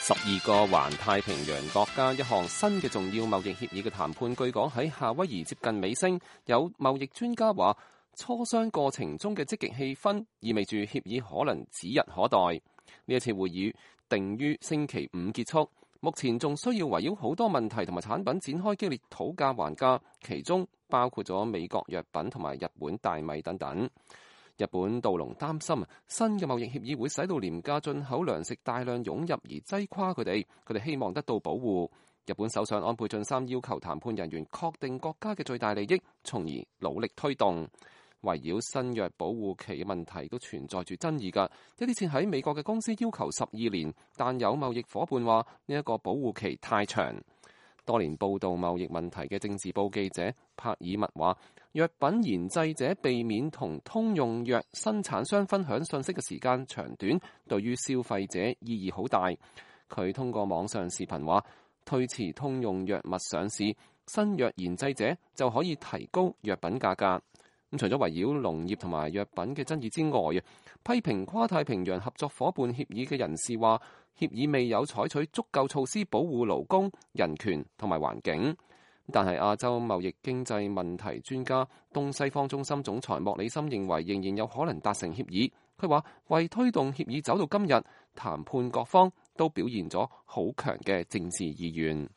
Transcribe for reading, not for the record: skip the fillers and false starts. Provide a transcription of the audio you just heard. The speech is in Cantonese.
12個環太平洋國家一項新嘅重要貿易協議嘅談判據講喺夏威夷接近尾聲，有貿易專家話磋商過程中嘅積極氣氛意味住協議可能指日可待。呢一次會議定於星期5結束，目前仲需要圍繞好多問題同埋產品展開激烈討價還價，其中包括咗美國藥品同埋日本大米等等。日本稻農擔心新嘅貿易協議會使到廉價進口糧食大量湧入而擠垮佢哋希望得到保護。日本首相安倍晉三要求談判人員確定國家嘅最大利益，從而努力推動。圍繞新藥保護期嘅問題都存在住爭議㗎，一啲設喺美國嘅公司要求12年，但有貿易夥伴話呢一個保護期太長。多年報導貿易問題嘅政治報記者帕爾默話，藥品研製者避免同通用藥生產商分享信息嘅時間長短，對於消費者意義好大。佢通過網上視頻話，推遲通用藥物上市，新藥研製者就可以提高藥品價格。除咗圍繞農業同埋藥品嘅爭議之外，批評跨太平洋合作夥伴協議嘅人士話，協議未有採取足夠措施保護勞工、人權同埋環境。但係亞洲貿易經濟問題專家東西方中心總裁莫里森認為，仍然有可能達成協議。佢話為推動協議走到今日，談判各方都表現咗好強嘅政治意願。